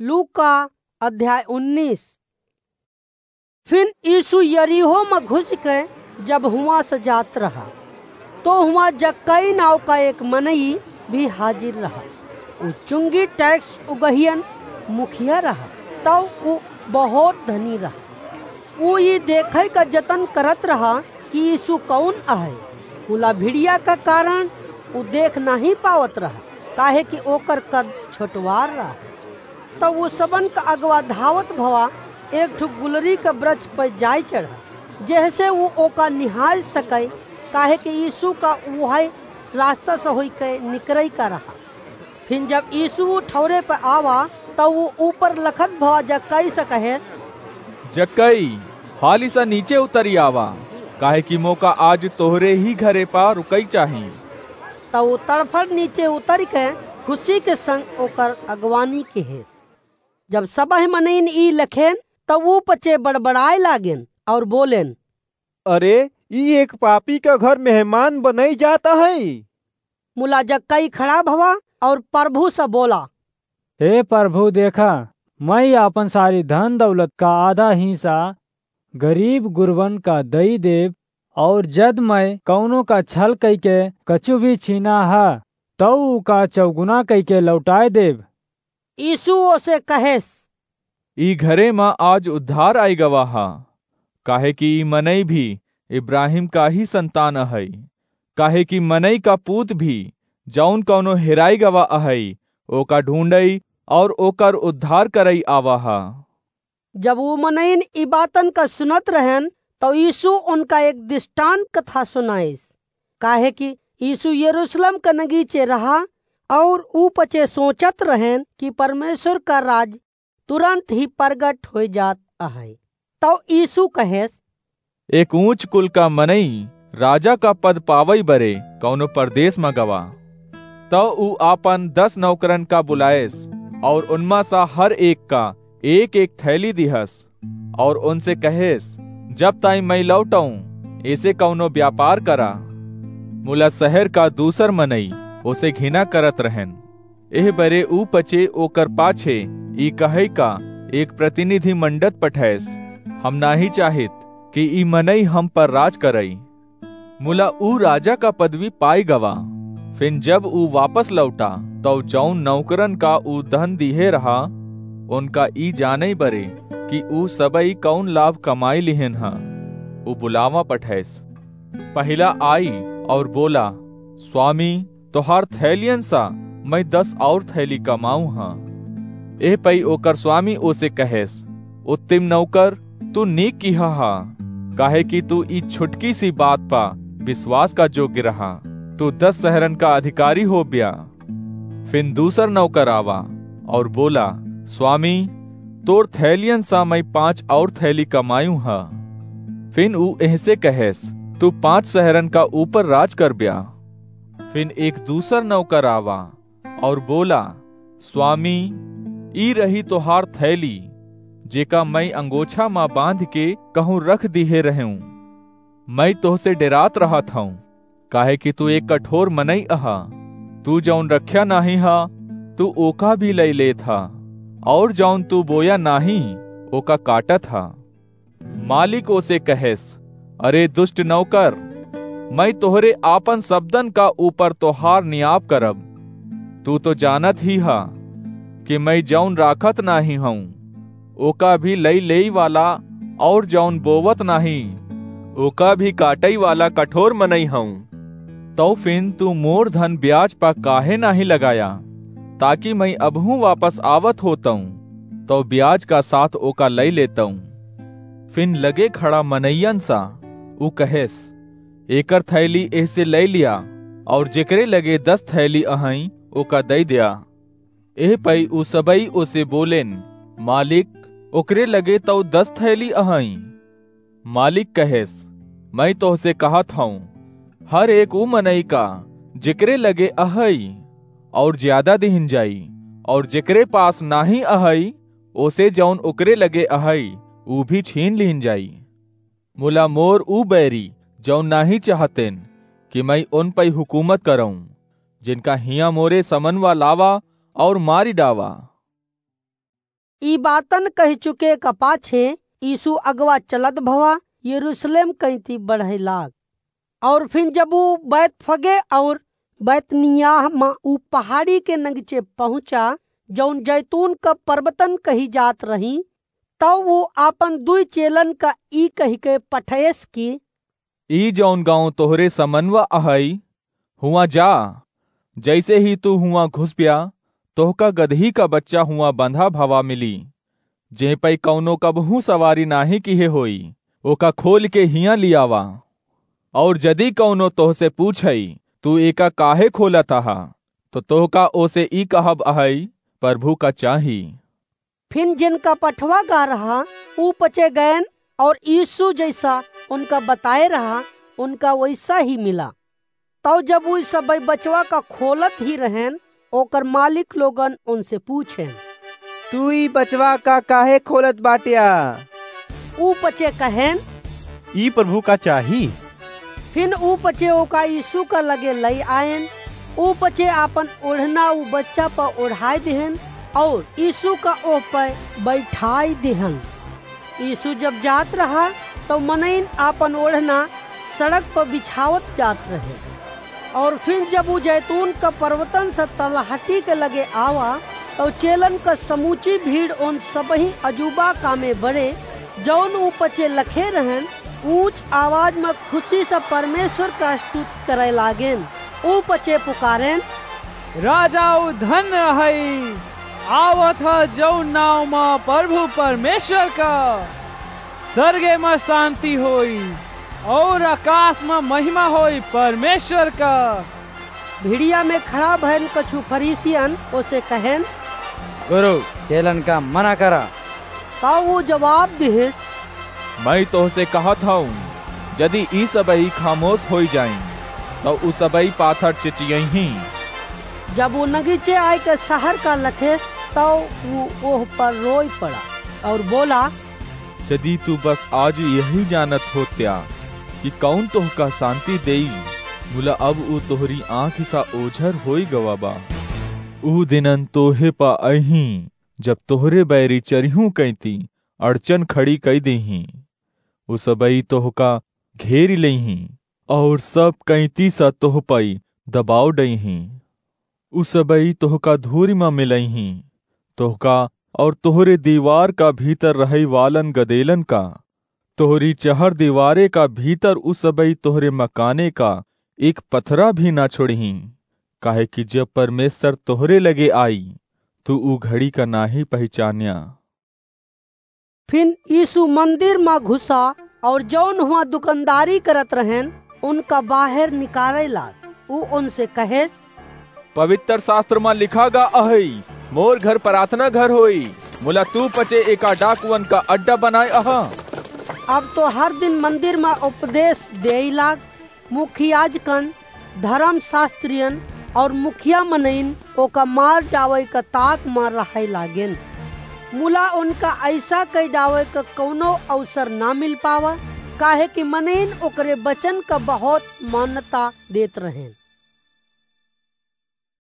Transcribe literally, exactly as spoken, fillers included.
लूका अध्याय उन्नीस। फिन यीशु यरीहो में घुस के जब हुआं से जात रहा, तो हुआं जक्कई नाव का एक मनई भी हाजिर रहा। उ चुंगी टैक्स उगहियन मुखिया रहा, तब उ बहुत धनी रहा। उ ई देखे का जतन करत रहा कि यीशु कौन आहे। मुला भिड़िया का कारण उ देख नहीं पावत रहा, काहे कि ओकर कद छोटवार रहा। तब उ सबन का अगवा धावत भवा एक ठो गुलरी का वृक्ष पर जाय चढ़ा, जेहसे उ ओका निहार सके, काहे कि यीशु का उहे रास्ता से होई के निकरई का रहा। फिर जब यीशु उ ठौरे पर आवा, तब उ ऊपर लखत भवा जक्कई से कहे, "जक्कई, हाली सा नीचे उतरी आवा, काहे कि मोका आज तोहरे ही घरे पा रुकई चाही।" तब उ तड़फड़ नीचे उतरि के खुशी के संग ओकर अगवानी किहेस। जब सबह मनइन ई लखेन, तब उ पचे बड़बड़ाए लागेन और बोलेन, "अरे, ई एक पापी का घर मेहमान बनई जात है।" मुला जक्कई खड़ा भवा और प्रभु से बोला, "हे प्रभु, देखा, मैं आपन सारी धन दौलत का आधा हिस्सा गरीब गुरबन का दई देब, और जद मैं कौनो का छल कई के कछु भी छीना हा, तौ उका चौगुना कई के लौटाए देब।" यीशु ओसे कहेस, "ई घरे मा आज उद्धार आई गवा हा, काहे कि ई मनई भी इब्राहिम का ही संतान अहई, काहे कि मनई का पूत भी जौन कौनो हेराई गवा अहई, ओका ढूंढई और ओकर उद्धार करई आवा हा।" जब उ मनइन ई बातन का सुनत रहन, तौ यीशु उनका एक दृष्टांत कथा सुनाइस, काहे कि यीशु यरूशलेम का नगीचे रहा और उ पचे सोचत रहन कि परमेश्वर का राज तुरंत ही प्रगट होइ जात अहै। तौ यीशु कहेस, "एक ऊंच कुल का मनई राजा का पद पावई बरे कौनो परदेस मा गवा। तौ उ आपन दस नौकरन का बुलाएस और उनमा सा हर एक का एक एक थैली दिहस और उनसे कहेस, 'जब ताई मैं लौटऊं, एसे कौनो व्यापार करा।' मुला शहर का दूसर मनई ओसे घिना करत रहन। एह बरे ऊ पचे ओकर पाछे ई कहई का एक प्रतिनिधि मंडत पठैस, 'हम नाहीं चाहित कि ई मनई हम पर राज करई।' मुला ऊ राजा का पदवी पाई गवा। फिन जब ऊ वापस लौटा, तौ जौन नौकरन का ऊ धन दिहे रहा, उनका ई जानई बरे कि ऊ सबई कौन लाभ कमाई लिहेन ह। ऊ बुलावा पठैस। पहिला आई और बोला, 'स्वामी, तोहार थैलियन सा मैं दस और थैली कमाऊ ह।' एह पई ओकर स्वामी ओसे कहेस, 'उत्तम नौकर, तू नीक किहा हा, काहे कि तू ई छुटकी सी बात पा विश्वास का जोग्य रहा, तू दस शहरन का अधिकारी हो ब्या।' फिन दूसर नौकर आवा और बोला, 'स्वामी, तोर थैलियन सा मैं पांच और थैली कमायू ह।' फिन ऊ एहसे कहेस, 'तू पांच शहरन का ऊपर राज कर ब्या।' फिन एक दूसर नौकर आवा और बोला, 'स्वामी, ई रही तोहार थैली, जेका मैं अंगोछा मा बांध के कहूं रख दिहे रहूं। मैं तोहसे डेरात रहत हूं, काहे कि तू एक कठोर मनई अहा। तू जौन रख्या नाहीं हा, तू ओका भी लई लेत हा, और जौन तू बोया नाहीं, ओका काटत हा।' मालिक ओसे कहेस, 'अरे दुष्ट नौकर, मैं तोहरे आपन शब्दन का ऊपर तोहार नियाप करब। तू तो जानत ही हा कि मैं जौन राखत नाहीं हूं, ओका भी लई लेई वाला, और जौन बोवत नाहीं, ओका भी काटई वाला कठोर मनई हूं। तौ फिन तू मोर धन ब्याज पा काहे नाहीं लगाया, ताकि मैं अबहूं वापस आवत होतऊं, तौ ब्याज का साथ ओका लई लेतऊं।' फिन लगे खड़ा मनइयन सा ऊ कहेस, 'एकर थैली एहसे लई लिया, और जेकरे लगे दस थैली अहई, ओका दई द्या।' एह पई ऊ सबई ओसे बोलेन, 'मालिक, ओकरे लगे तौ दस थैली अहई।' मालिक कहेस, 'मैं तोहसे कहत हूं, हर एक ऊ मनई का जेकरे लगे अहई, और ज्यादा दिहिन जाई, और जेकरे पास नाहीं अहई, ओसे जौन ओकरे लगे अहई, ऊ भी छीन लिहिन जाई।' मुला मोर ऊ बैरी, जौन नाहीं चाहतेन कि मैं उन पई हुकूमत करऊं, जिनका हिया मोरे समनवा लावा और मारी डावा।" ई बातन कहि चुके का पाछे यीशु अगवा चलत भवा यरूशलेम कइती बढ़इ लाग। और फिन जब ऊ बैतफगे और बैतनियाह मा ऊ पहाड़ी के नगीचे पहुँचा, जौन जैतून का पर्वतन कही जात रही, तब ऊ आपन दुई चेलन का ई कहिके पठयस कि, "ई जौन गाँव तोहरे समनवा अहइ, हुआँ जा, जइसे ही तू हुआँ घुसब्या, तोहका गदही का बच्चा हुआँ बंधा भवा मिली, जे पै कउनो कबहूँ सवारी नाहीं किहे होई, ओका खोलि के हियाँ लियावा। और जदि कउनो तोहसे पूछइ, 'तू एका काहे खोलत अहा?' तो तोहका ओसे ई कहब अहइ, 'प्रभु का चाही।'" फिन जिनका पठवा गा रहा, ऊ पचे गएन और यीशु जइसा उनका बताए रहा, उनका वइसा ही मिला। तब जब ऊ सबइ बचवा का खोलत ही रहेन, ओकर मालिक लोगन उनसे पूछेन, "तू ई बचवा का काहे खोलत बाट्या?" ऊ पचे कहेन, "ई प्रभु का चाही।" फिन ऊ पचे ओका यीशु का लगे लइ आएन। ऊ पचे आपन ओढ़ना ऊ बच्चा पर ओढ़ाइ दिहेन और यीशु का ओह पर बैठाइ दिहेन। यीशु जब जात रहा, तब मनइन आपन ओढ़ना सड़क पर बिछावत जात रहे। और फिन जब ऊ जैतून का पर्वतन से तलहटी के लगे आवा, तब चेलन का समूची भीड़ उन सबही अजूबा का में बड़े, जौन ऊ पचे लखे रहेन, ऊंच आवाज में खुशी से परमेश्वर का स्तुति करे लागेन। ऊ पचे पुकारेन, "राजा ऊ धन्य हई, आवत ह जौन नाव मा प्रभु परमेश्वर का। सरगे मा शांति होई और आकाश मा महिमा होई परमेश्वर का।" भिड़िया में खड़ा भएन कछु फरीसियन ओसे कहेन, "गुरु, चेलन का मना करा।" तब ऊ जवाब दिहिस, "मइँ तोहसे कहत हउँ, जदि ई सबही खामोस होइ जाइँ, तउ ऊ सबही पाथर चिचियइहीं।" जब ऊ नगीचे आइके सहर का लखे, तब ऊ ओह पर रोइ पड़ा और बोला, "जदि तू बस आज यही जानत होत्या कि कउन तोहका शांति देई, मुला अब ऊ तोहरी आँखि सा ओझर होइ गवा बा। ऊ दिनन तोहे प अइहीं, जब तोहरे बैरी चरिहूँ कइती अड़चन खड़ी कइ देहीं। उ सबई तोहका घेरि लेइहीं, अउर सब कइती स तोह पई दबाव डइहीं। उ सबई तोहका धूरि म मिलइहीं, तोहका अउर तोहरे दीवार का भीतर रहइ वालन गदेलन का। तोहरी चहर दीवारे का भीतर उ सबई तोहरे मकाने का एक पथरा भी ना छोड़िहीं, काहे कि जब परमेसर तोहरे लगे आई, तू उ घड़ी का नाहीं पहिचान्या।" फिन यीसु मंदिर म घुसा अउर जउन हुआं दुकनदारी करत रहेन, उनका बाहेर निकारइ लाग। उ उनसे कहेस, "पवित्र सास्त्र म लिखा गा अहइ, मोर घर पराथना घर होई, मुला तू पचे एका डाकुअन का अड्डा बनाए अहा।" अब तो हर दिन मंदिर म उपदेस देइ लाग। मुख्य याजकन, धरम सास्त्रियन अउर मुखिया मनइन ओका मार डावइ क ताक म रहइ लागेन। मुला ओनका अइसा कइ डावइ क कउनो अवसर न मिल पावा, काहे कि मनइन ओकरे बचन क बहुत मान्यता देत रहेन।